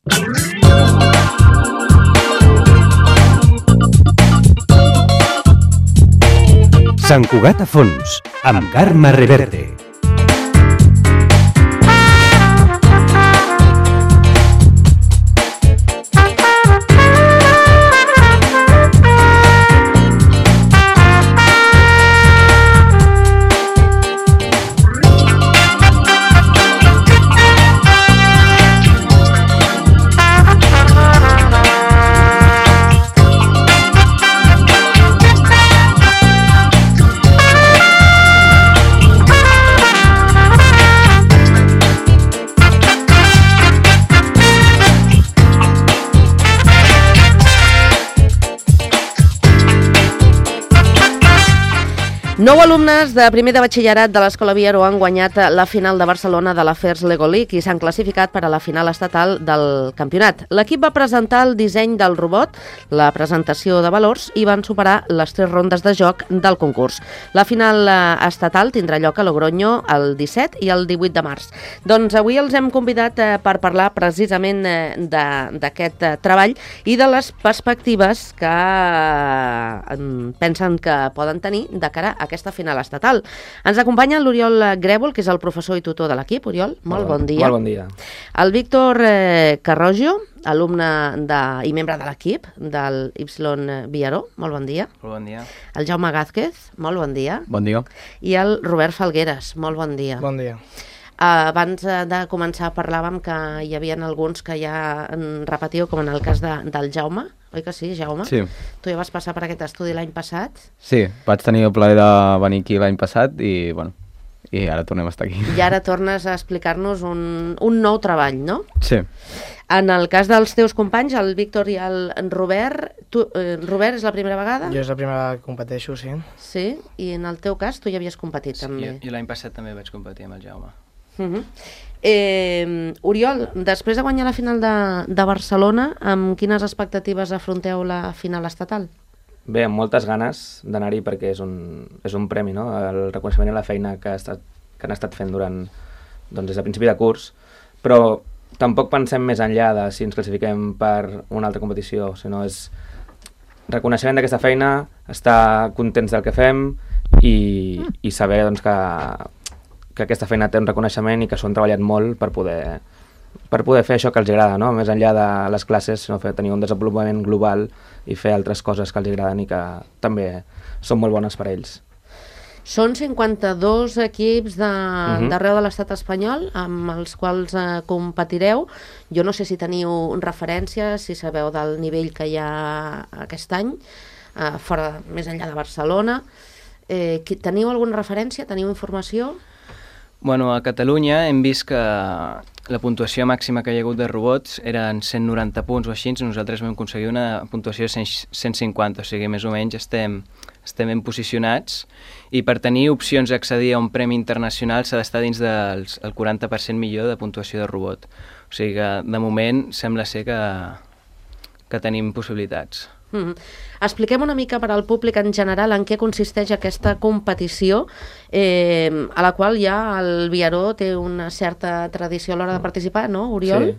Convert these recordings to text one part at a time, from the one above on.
Sant Cugat a fons, amb Carme Reverte. Nou alumnes de primer de batxillerat de l'Escola Biaró han guanyat la final de Barcelona de la FIRST Lego League i s'han classificat per a la final estatal del campionat. L'equip va presentar el disseny del robot, la presentació de valors i van superar les 3 rondes de joc del concurs. La final estatal tindrà lloc a Logroño el 17 i el 18 de març. Doncs avui els hem convidat per parlar precisament d'aquest treball i de les perspectives que pensen que poden tenir de cara a aquesta final estatal. Ens acompanya l'Oriol Grèvol, que és el professor i tutor de l'equip. Oriol, molt bon dia. Molt bon dia. El Víctor Carroggio, alumne i membre de l'equip del Y Biaró. Molt bon dia. Molt bon dia. El Jaume Gázquez, molt bon dia. Bon dia. I el Robert Falgueres, molt bon dia. Bon dia. Abans de començar parlàvem que hi havia alguns que ja repetiu, com en el cas del Jaume. Oi que sí, Jaume? Sí. Tu ja vas passar per aquest estudi l'any passat? Sí, vaig tenir el plaer de venir aquí l'any passat i, bueno, i ara tornem a estar aquí. I ara tornes a explicar-nos un nou treball, no? Sí. En el cas dels teus companys, el Víctor i el Robert, Robert, és la primera vegada? Jo és la primera vegada que competeixo, sí. Sí, i en el teu cas tu ja havies competit també. Sí, jo l'any passat també vaig competir amb el Jaume. Oriol, després de guanyar la final de Barcelona, amb quines expectatives afronteu la final estatal? Bé, amb moltes ganes d'anar-hi perquè és un premi, no? El reconeixement i la feina que han estat fent des de principi de curs, però tampoc pensem més enllà de si ens classifiquem per una altra competició, sinó és reconeixement d'aquesta feina, estar contents del que fem i saber que aquesta feina té un reconeixement i que s'ho han treballat molt per poder fer això que els agrada, no? Més enllà de les classes, sinó tenir un desenvolupament global i fer altres coses que els agraden i que també són molt bones per a ells. Són 52 equips d'arreu de l'estat espanyol amb els quals competireu. Jo no sé si teniu referències, si sabeu del nivell que hi ha aquest any, més enllà de Barcelona. Teniu alguna referència? Teniu informació? Bueno, a Catalunya hem vist que la puntuació màxima que hi ha hagut de robots eren 190 punts o així, nosaltres vam aconseguir una puntuació de 150, o sigui, més o menys estem ben posicionats i per tenir opcions a accedir a un premi internacional s'ha d'estar dins del 40% millor de puntuació de robot. O sigui que, de moment, sembla ser que tenim possibilitats. Expliquem una mica per al públic en general en què consisteix aquesta competició a la qual ja el Biaró té una certa tradició a l'hora de participar, no, Oriol?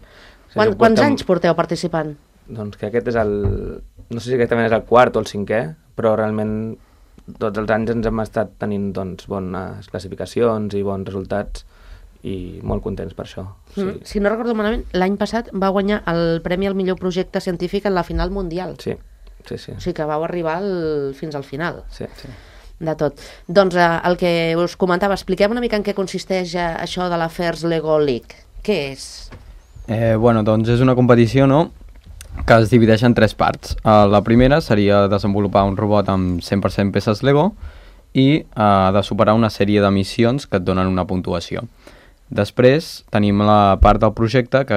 Sí. Quants anys porteu participant? Doncs que aquest és no sé si exactament és el quart o el 5è, però realment tots els anys ens hem estat tenint bones classificacions i bons resultats i molt contents per això. Sí. Si no recordo malament, l'any passat va guanyar el Premi al millor projecte científic en la final mundial. Sí. O sigui que vau arribar fins al final. Sí. De tot. Doncs el que us comentava, expliquem una mica en què consisteix això de la FIRST Lego League. Què és? Doncs és una competició, no?, que es divideix en 3 parts. La primera seria desenvolupar un robot amb 100% peces Lego i de superar una sèrie de missions que et donen una puntuació. Després tenim la part del projecte, que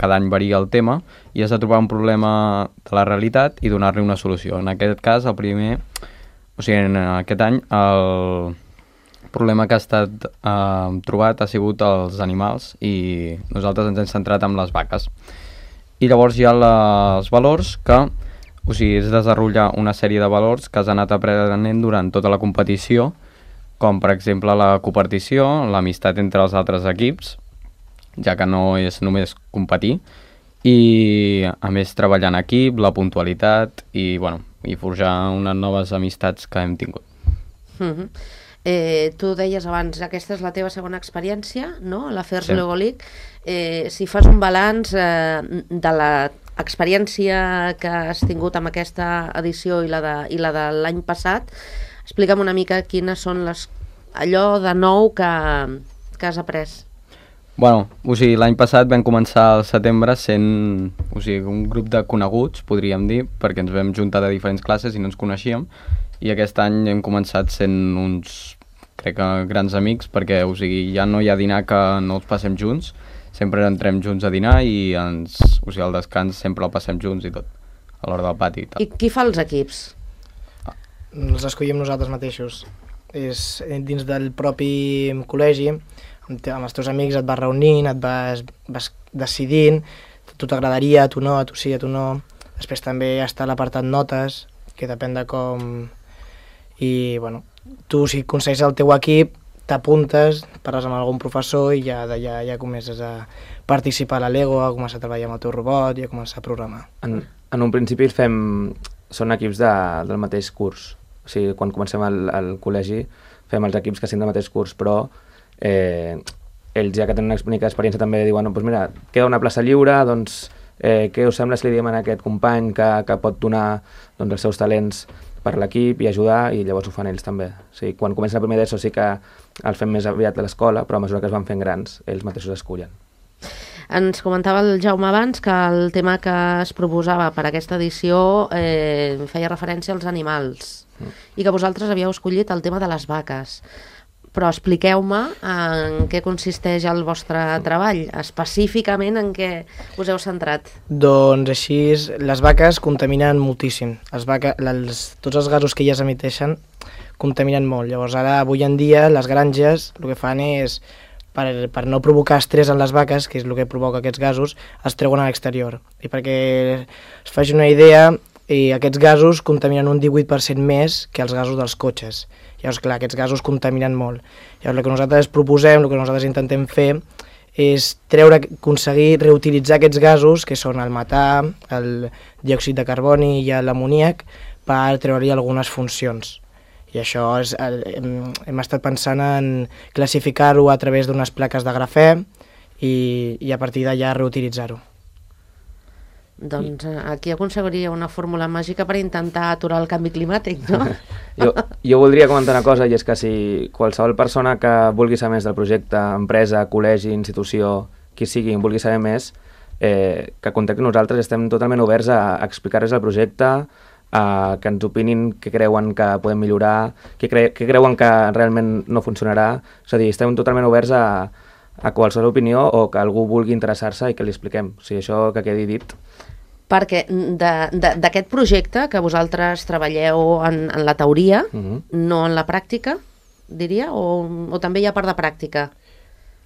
cada any varia el tema, i has de trobar un problema de la realitat i donar-li una solució. En aquest cas, en aquest any, el problema que ha estat trobat ha sigut els animals i nosaltres ens hem centrat en les vaques. I llavors hi ha els valors que, és desenvolupar una sèrie de valors que has anat aprenent durant tota la competició, com per exemple la copartició, l'amistat entre els altres equips, ja que no és només competir, i a més treballar en equip, la puntualitat i, bueno, i forjar unes noves amistats que hem tingut. Tu deies abans, aquesta és la teva segona experiència, no?, a la FERS Sí. Lego League. Si fas un balanç de l'experiència que has tingut amb aquesta edició i la de l'any passat, explica'm una mica quines són allò de nou que has après. Bueno, o sigui, l'any passat vam començar al setembre sent, o sigui, un grup de coneguts, podríem dir, perquè ens vam juntar de diferents classes i no ens coneixíem, i aquest any hem començat sent uns, crec que grans amics, perquè, o sigui, ja no hi ha dinar que no els passem junts, sempre entrem junts a dinar i o sigui, al descans sempre el passem junts i tot, a l'hora del pati i tal. I qui fa els equips? Els escollim nosaltres mateixos. És dins del propi col·legi, amb els teus amics et vas reunint, et vas decidint, a tu t'agradaria, a tu no, a tu sí, a tu no. Després també està l'apartat notes, que depèn de com... I, bueno, tu si aconsegueixes el teu equip, t'apuntes, parles amb algun professor i ja comences a participar a la Lego, a començar a treballar amb el teu robot i a començar a programar. En un principi són equips del mateix curs. O sigui, quan comencem al col·legi fem els equips que siguin del mateix curs, però ells ja que tenen una mica d'experiència també diuen, doncs mira, queda una plaça lliure, doncs què us sembla si li diem a aquest company que pot donar doncs, els seus talents per l'equip i ajudar, i llavors ho fan ells també. O sigui, quan comencen el primer d'ESO sí que els fem més aviat a l'escola, però a mesura que es van fent grans, ells mateixos escullen. Ens comentava el Jaume abans que el tema que es proposava per aquesta edició feia referència als animals i que vosaltres havíeu escollit el tema de les vaques. Però expliqueu-me en què consisteix el vostre treball, específicament en què us heu centrat. Doncs així, les vaques contaminen moltíssim. Tots els gasos que elles emiteixen contaminen molt. Llavors ara, avui en dia, les granges el que fan és, per no provocar estrès en les vaques, que és el que provoca aquests gasos, es treuen a l'exterior. I perquè es faci una idea, aquests gasos contaminen un 18% més que els gasos dels cotxes. Llavors, clar, aquests gasos contaminen molt. Llavors, el que nosaltres proposem, el que nosaltres intentem fer, és aconseguir reutilitzar aquests gasos, que són el metà, el diòxid de carboni i l'amoníac, per treure-hi algunes funcions. I això hem estat pensant en classificar-ho a través d'unes plaques de grafè i a partir d'allà reutilitzar-ho. Doncs aquí aconseguiria una fórmula màgica per intentar aturar el canvi climàtic, no? Jo voldria comentar una cosa, i és que si qualsevol persona que vulgui saber més del projecte, empresa, col·legi, institució, qui sigui, vulgui saber més, que contacti nosaltres, estem totalment oberts a explicar-los el projecte, que ens opinin què creuen que podem millorar, què creuen que realment no funcionarà. És a dir, estem totalment oberts a qualsevol opinió o que algú vulgui interessar-se i que li expliquem. O sigui, això que quedi dit. Perquè d'aquest projecte que vosaltres treballeu en la teoria, no en la pràctica, diria, o també hi ha part de pràctica?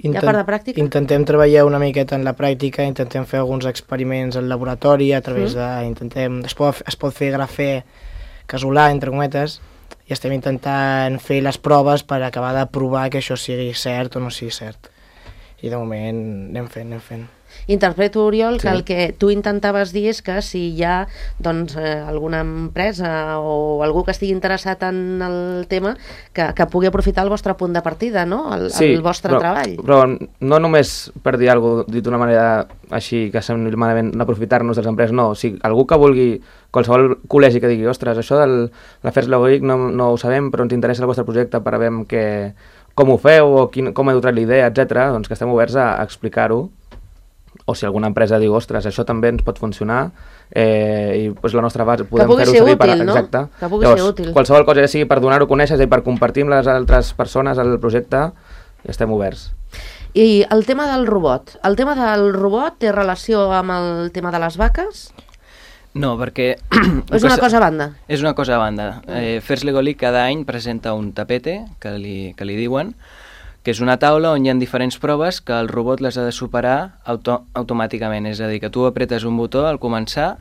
Hi ha part de pràctica? Intentem treballar una miqueta en la pràctica, intentem fer alguns experiments al laboratori, a través es pot fer grafè casolà, entre cometes, i estem intentant fer les proves per acabar de provar que això sigui cert o no sigui cert. I de moment anem fent. Interpreto, Oriol, que el que tu intentaves dir és que si hi ha alguna empresa o algú que estigui interessat en el tema, que pugui aprofitar el vostre punt de partida, no? El vostre treball. Però no només per dir alguna cosa dit d'una manera així que sembli malament aprofitar-nos de les empreses, no. O sigui, algú que vulgui, qualsevol col·legi que digui, ostres, això de la FERS Lego League no ho sabem, però ens interessa el vostre projecte per veure com ho feu o com heu tret l'idea, etc. Doncs que estem oberts a explicar-ho. O si alguna empresa diu, ostres, això també ens pot funcionar, i doncs la nostra base podem fer-ho servir per... Exacte. Que pugui ser útil. Qualsevol cosa, ja sigui per donar-ho a conèixer i per compartir amb les altres persones el projecte, estem oberts. I el tema del robot. El tema del robot té relació amb el tema de les vaques? No, perquè... És una cosa a banda? És una cosa a banda. FERS Lego League cada any presenta un tapete, que li diuen, que és una taula on hi ha diferents proves que el robot les ha de superar automàticament. És a dir, que tu apretes un botó al començar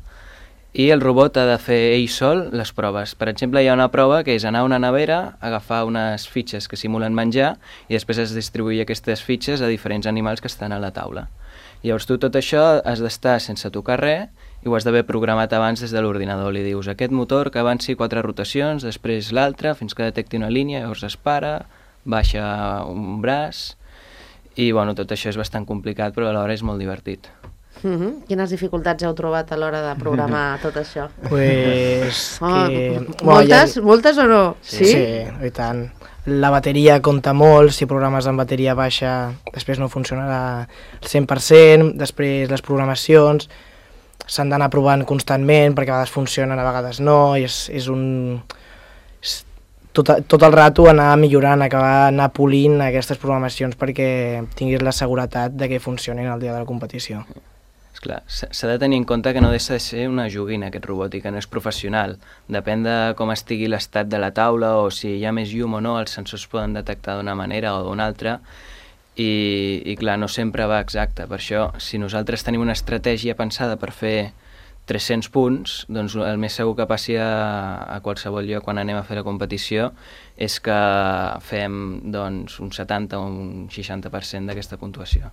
i el robot ha de fer ell sol les proves. Per exemple, hi ha una prova que és anar a una nevera, agafar unes fitxes que simulen menjar i després es distribuir aquestes fitxes a diferents animals que estan a la taula. Llavors tu tot això has d'estar sense tocar res i ho has d'haver programat abans des de l'ordinador. Li dius aquest motor que avanci 4 rotacions, després l'altra, fins que detecti una línia, llavors es para, baixa un braç, i bueno, tot això és bastant complicat, però alhora és molt divertit. Quines dificultats heu trobat a l'hora de programar tot això? Pues Moltes o no? Sí, i tant. La bateria compta molt, si programes amb bateria baixa després no funcionarà al 100%, després les programacions s'han d'anar provant constantment perquè a vegades funcionen, a vegades no, i és tot el rato anar millorant, anar polint aquestes programacions perquè tinguis la seguretat de que funcionin el dia de la competició. Esclar, s'ha de tenir en compte que no deixa de ser una joguina aquest robot i que no és professional. Depèn de com estigui l'estat de la taula o si hi ha més llum o no, els sensors poden detectar d'una manera o d'una altra i clar, no sempre va exacte. Per això, si nosaltres tenim una estratègia pensada per fer 300 punts, doncs el més segur que passi a qualsevol lloc quan anem a fer la competició és que fem doncs, un 70 o un 60% d'aquesta puntuació.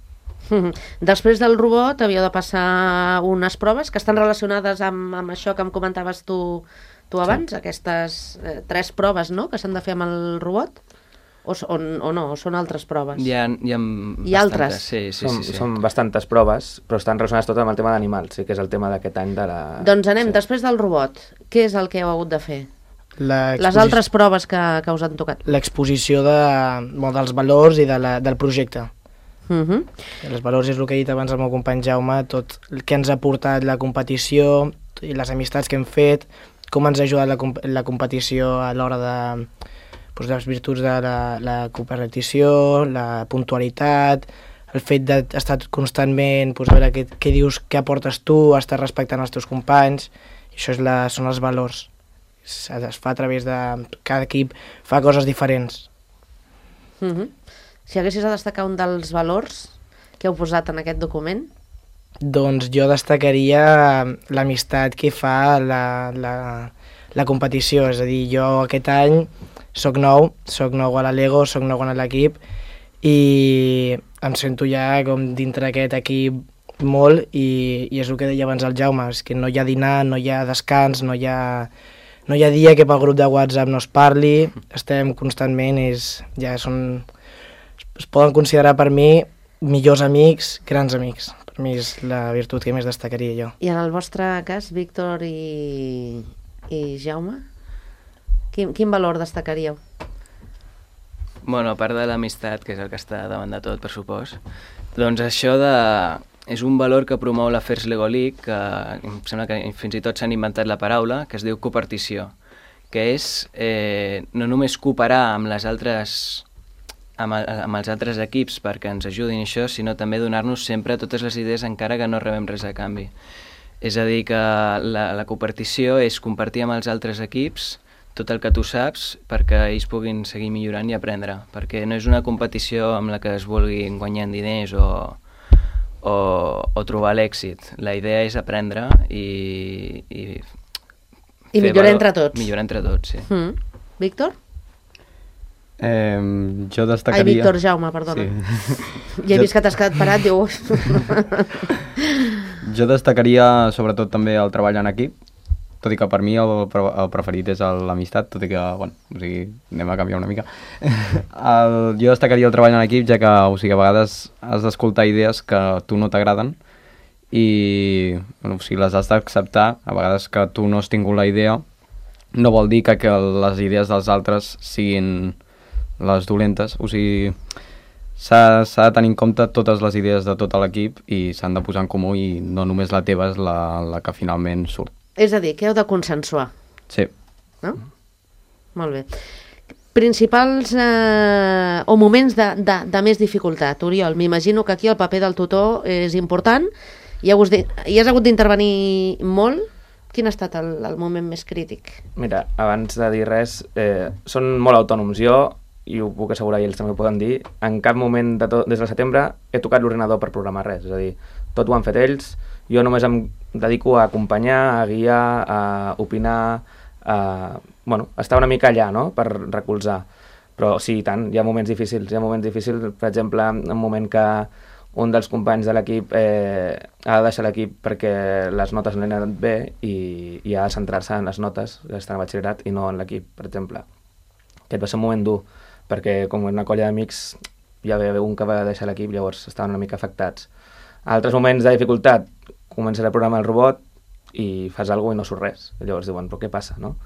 Després del robot havíeu de passar unes proves que estan relacionades amb això que em comentaves tu abans, aquestes 3 proves, no?, que s'han de fer amb el robot? O no? O són altres proves? Hi ha altres? Sí. Són bastantes proves, però estan relacionades tot amb el tema d'animals, sí que és el tema d'aquest any de la... Doncs anem, després del robot, què és el que heu hagut de fer? Les altres proves que us han tocat. L'exposició dels valors i del projecte. Els valors és el que ha dit abans el meu company Jaume, tot el que ens ha portat la competició i les amistats que hem fet, com ens ha ajudat la competició a l'hora de les virtuts de la competició, la puntualitat, el fet d'estar constantment, a veure què dius, què aportes tu, estar respectant els teus companys, i això són els valors. Es fa a través de... Cada equip fa coses diferents. Si haguessis de destacar un dels valors que heu posat en aquest document? Doncs jo destacaria l'amistat que fa la competició, és a dir, jo aquest any soc nou a la Lego, soc nou a l'equip i em sento ja com dintre d'aquest equip molt i és el que deia abans el Jaume, és que no hi ha dinar, no hi ha descans, no hi ha dia que pel grup de WhatsApp no es parli, estem constantment, es poden considerar per mi millors amics, grans amics. Per mi és la virtut que més destacaria jo. I en el vostre cas, Víctor i Jaume, quin valor destacaríeu? Bueno, a part de l'amistat, que és el que està davant de tot, per supost, doncs això és un valor que promou la First Lego League, que em sembla que fins i tot s'han inventat la paraula, que es diu copartició, que és no només cooperar amb els altres equips perquè ens ajudin això, sinó també donar-nos sempre totes les idees encara que no rebem res a canvi. És a dir, que la copartició és compartir amb els altres equips tot el que tu saps perquè ells puguin seguir millorant i aprendre, perquè no és una competició amb la que es vulguin guanyar diners o trobar l'èxit. La idea és aprendre i millorar entre tots. Millorar entre tots, sí. Víctor? Jo destacaria... Ai, Víctor, Jaume, perdona. Sí. Ja he vist que t'has quedat parat, diu... Jo destacaria sobretot també el treball en equip, tot i que per mi el preferit és l'amistat, tot i que, bueno, o sigui, anem a canviar una mica. Jo destacaria el treball en equip, ja que, o sigui, a vegades has d'escoltar idees que a tu no t'agraden i, bueno, o sigui, les has d'acceptar. A vegades que tu no has tingut la idea no vol dir que les idees dels altres siguin les dolentes, o sigui, s'ha de tenir en compte totes les idees de tot l'equip i s'han de posar en comú i no només la teva és la que finalment surt. És a dir, que heu de consensuar. Sí. No? Molt bé. Principals o moments de més dificultat. Oriol, m'imagino que aquí el paper del tutor és important i has hagut d'intervenir molt. Quin ha estat el moment més crític? Mira, abans de dir res, són molt autònoms. Jo, i ho puc assegurar i ells també ho poden dir, en cap moment des del setembre he tocat l'ordinador per programar res. És a dir, tot ho han fet ells. Jo només em dedico a acompanyar, a guiar, a opinar, a estar una mica allà, no?, per recolzar. Però sí, i tant, hi ha moments difícils. Per exemple, un moment que un dels companys de l'equip ha de deixar l'equip perquè les notes no li han anat bé i ha de centrar-se en les notes que estan a batxillerat i no en l'equip, per exemple. Aquest va ser un moment dur, perquè com una colla d'amics hi havia un que va deixar l'equip, llavors estaven una mica afectats. Altres moments de dificultat, comences a programar el robot i fas alguna cosa i no surt res. Llavors diuen, però què passa, no?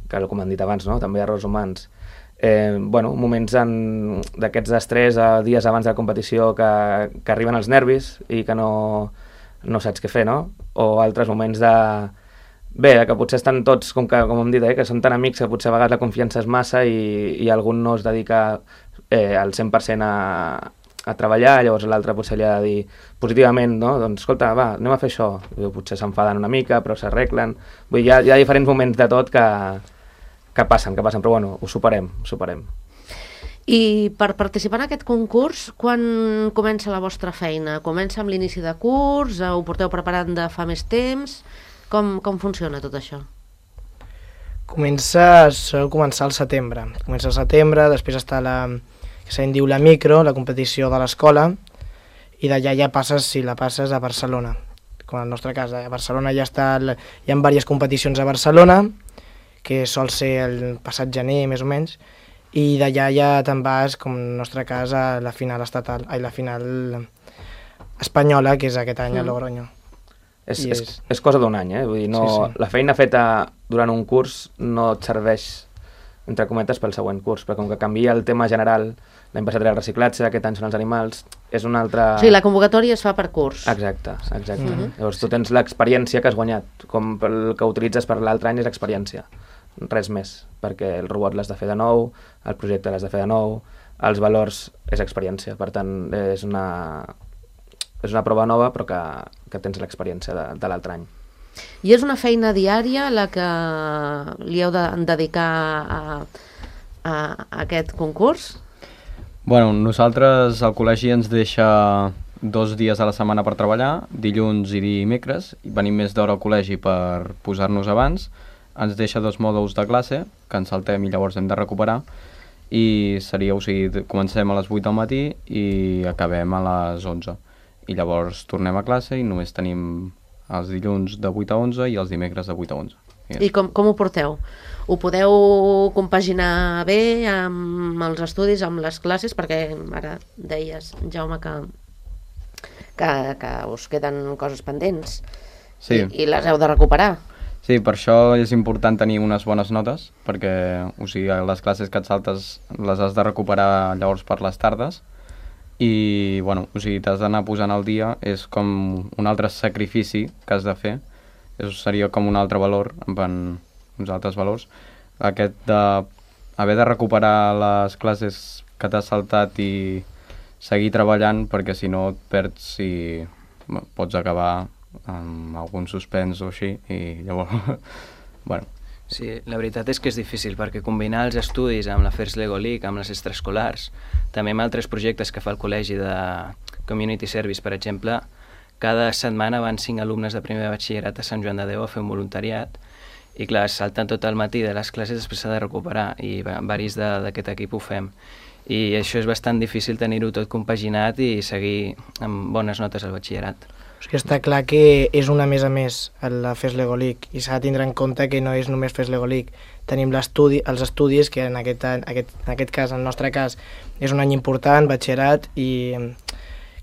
Que com han dit abans, no? També errors humans. Moments d'aquests d'estrès, dies abans de la competició que arriben els nervis i que no saps què fer, no? O altres moments que potser estan tots, com hem dit, que són tan amics que potser a vegades la confiança és massa i algun no es dedica al 100% a treballar, llavors l'altre potser li ha de dir positivament, no? Doncs escolta, va, anem a fer això. Potser s'enfaden una mica, però s'arreglen. Vull dir, hi ha diferents moments de tot que passen, però bueno, ho superem. I per participar en aquest concurs, quan comença la vostra feina? Comença amb l'inici de curs? Ho porteu preparant de fa més temps? Com funciona tot això? Sol començar al setembre. Comença al setembre, després està que se'n diu la micro, la competició de l'escola, i d'allà ja passes, si la passes, a Barcelona. Com en el nostre cas, a Barcelona hi ha diverses competicions a Barcelona, que sol ser el passat gener, més o menys, i d'allà ja te'n vas, com en el nostre cas, a la final estatal, la final espanyola, que és aquest any a Logroño. És cosa d'un any, Vull dir, no, sí. La feina feta durant un curs no et serveix, entre cometes, pel següent curs, perquè com que canvia el tema general, l'any passat era el reciclatge, aquest any són els animals, és un altre... O sigui, la convocatòria es fa per curs. Exacte. Llavors tu tens l'experiència que has guanyat, com el que utilitzes per l'altre any és experiència, res més, perquè el robot l'has de fer de nou, el projecte l'has de fer de nou, els valors és experiència, per tant és una prova nova però que tens l'experiència de l'altre any. I és una feina diària la que li heu de dedicar a aquest concurs? Bueno, nosaltres al col·legi ens deixa 2 dies a la setmana per treballar, dilluns i dimecres, i venim més d'hora al col·legi per posar-nos abans, ens deixa 2 mòduls de classe, que ens saltem i llavors hem de recuperar, i comencem a les 8 del matí i acabem a les 11. I llavors tornem a classe i només tenim els dilluns de 8 a 11 i els dimecres de 8 a 11. I com ho porteu? Ho podeu compaginar bé amb els estudis, amb les classes? Perquè ara deies, Jaume, que us queden coses pendents i les heu de recuperar. Sí, per això és important tenir unes bones notes, perquè les classes que et saltes les has de recuperar llavors per les tardes, i t'has d'anar posant al dia, és com un altre sacrifici que has de fer, seria com un altre valor, uns altres valors, aquest d'haver de recuperar les classes que t'has saltat i seguir treballant, perquè si no et perds i pots acabar amb algun suspens o així, i llavors, Sí, la veritat és que és difícil, perquè combinar els estudis amb la FIRST LEGO League, amb les extraescolars, també amb altres projectes que fa el col·legi de Community Service, per exemple, cada setmana van 5 alumnes de primer de batxillerat a Sant Joan de Déu a fer un voluntariat, i clar, saltant tot el matí de les classes després s'ha de recuperar, i varis d'aquest equip ho fem. I això és bastant difícil tenir-ho tot compaginat i seguir amb bones notes al batxillerat. O sigui, està clar que és una més a més la FIRST LEGO League i s'ha de tindre en compte que no és només FIRST LEGO League. Tenim els estudis, que en aquest cas, en el nostre cas, és un any important, batxillerat, i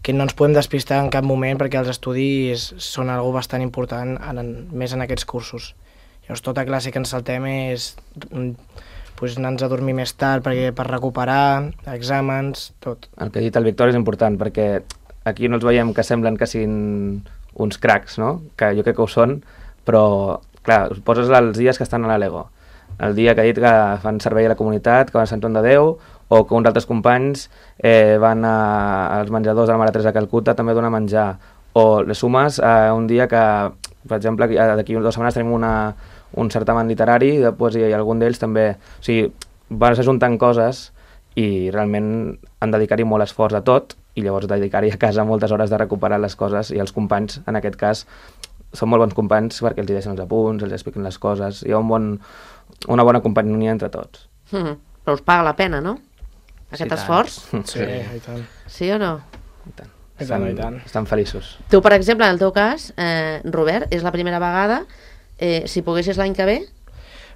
que no ens podem despistar en cap moment perquè els estudis són algo bastant important, més en aquests cursos. Llavors, tota classe que ens saltem és anar-nos a dormir més tard per recuperar, exàmens, tot. El que ha dit el Víctor és important, perquè aquí no els veiem que semblen que siguin uns cracs, no? Que jo crec que ho són, però, clar, poses els dies que estan a la Lego. El dia que ha dit que fan servei a la comunitat, que van a Sant Joan de Déu, o que uns altres companys van als menjadors de la Mare Teresa de Calcuta també a donar menjar. O les sumes a un dia que, per exemple, d'aquí 2 setmanes tenim un certamen literari de poesia i algun d'ells també... O sigui, vas ajuntant coses i realment han de dedicar-hi molt esforç a tot, i llavors dedicar-hi a casa moltes hores de recuperar les coses, i els companys, en aquest cas, són molt bons companys perquè els deixen els apunts, els expliquen les coses, hi ha una bona companyia entre tots. Però us paga la pena, no? Aquest esforç? Sí, i tant. Sí o no? I tant. I tant, i tant. Estan feliços. Tu, per exemple, en el teu cas, Robert, és la primera vegada, si poguessis l'any que ve,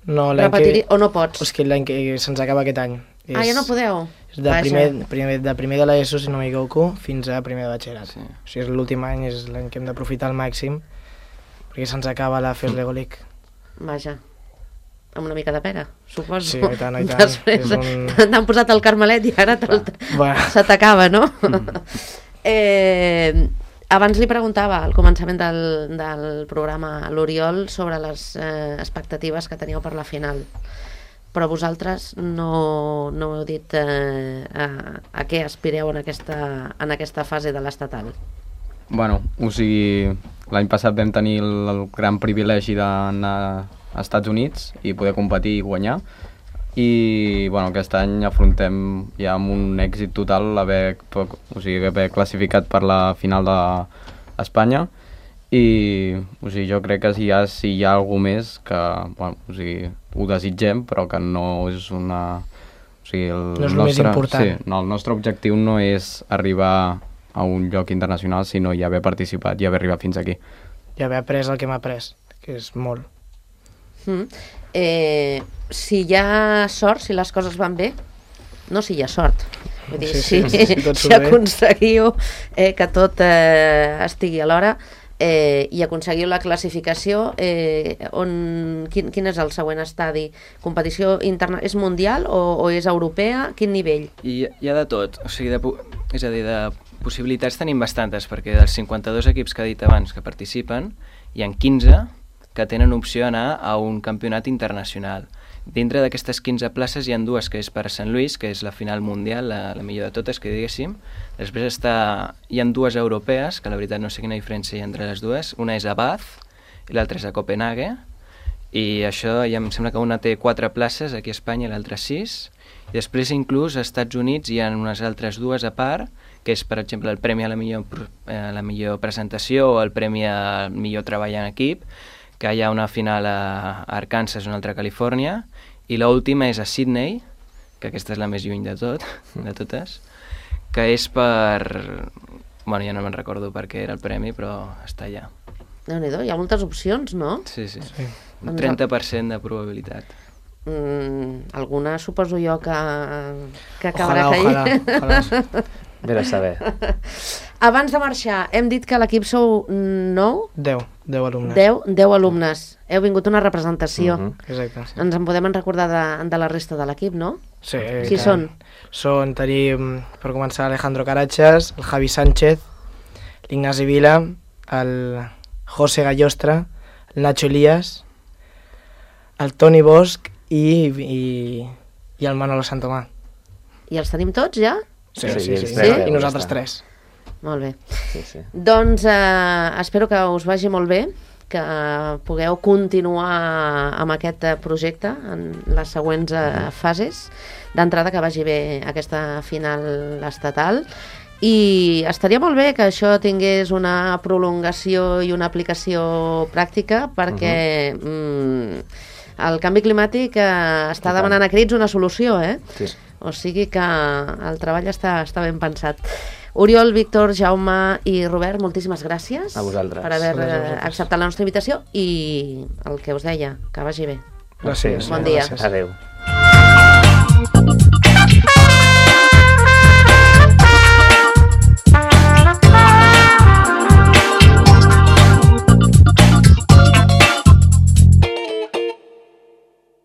No, o no pots? És que l'any que se'ns acaba aquest any. Ja no podeu? És de primer de l'ESO, si no m'equivoco, fins a primer de batxillerat. Sí. O sigui, és l'últim any, és l'any que hem d'aprofitar al màxim, perquè se'ns acaba la FES Lego League. Vaja, amb una mica de pena, suposo. Sí, i tant, i tant. Després t'han posat el Carmelet i ara se t'acaba, no? Abans li preguntava al començament del programa a l'Oriol sobre les expectatives que teníeu per la final, però vosaltres no heu dit a què aspireu en aquesta fase de l'estatal. Bueno, o sigui, l'any passat vam tenir el gran privilegi d'anar a Estats Units i poder competir i guanyar, i bueno, aquest any afrontem ja amb un èxit total haver classificat per la final d'Espanya, i o sigui, jo crec que si hi ha algú més que bueno, o sigui, ho desitgem, però que no és una... O sigui, no és el més important. Sí, no, el nostre objectiu no és arribar a un lloc internacional, sinó ja haver participat i haver arribat fins aquí. I haver après el que hem après, que és molt. Si hi ha sort, si les coses van bé, no si hi ha sort, vull dir, si aconseguiu que tot estigui a l'hora i aconseguiu la classificació, quin és el següent estadi? Competició interna, és mundial o és europea? Quin nivell? Hi ha de tot, o sigui, és a dir, de possibilitats tenim bastantes, perquè dels 52 equips que he dit abans que participen, hi ha 15 que tenen opció a anar a un campionat internacional. Dintre d'aquestes 15 places hi ha dues que és per a Sant Lluís, que és la final mundial, la millor de totes, que diguéssim. Després hi ha dues europees, que la veritat no sé quina diferència hi ha entre les dues. Una és a Bath i l'altra és a Copenhague. I això ja em sembla que una té 4 places aquí a Espanya i l'altra 6. I després inclús als Estats Units hi ha unes altres dues a part, que és, per exemple, el premi a la millor presentació o el premi al millor treball en equip, que hi ha una final a Arkansas i una altra a Califòrnia, i l'última és a Sydney, que aquesta és la més lluny de totes, que és per... Bueno, ja no me'n recordo per què era el premi, però està allà. Déu-n'hi-do, hi ha moltes opcions, no? Sí. Un 30% de probabilitat. Alguna suposo jo que acabarà caient. Ojalà. Bé de saber. Abans de marxar, hem dit que l'equip sou 9? 10 alumnes. 10 alumnes. Heu vingut una representació. Exacte. Sí. Ens en podem recordar de la resta de l'equip, no? Sí. Qui són? Tenim, per començar, Alejandro Carachas, el Javi Sánchez, l'Ignasi Vila, el José Gallostra, el Nacho Elías, el Toni Bosch i el Manolo Santomà. I els tenim tots ja? Sí. I nosaltres 3. Molt bé. Sí. Doncs espero que us vagi molt bé, que pugueu continuar amb aquest projecte en les següents fases. D'entrada, que vagi bé aquesta final estatal. I estaria molt bé que això tingués una prolongació i una aplicació pràctica, perquè el canvi climàtic està demanant a crits una solució, Sí. O sigui que el treball està ben pensat. Oriol, Víctor, Jaume i Robert, moltíssimes gràcies a vosaltres per haver acceptat la nostra invitació i el que us deia, que vagi bé. Gràcies. Bon dia. Adéu.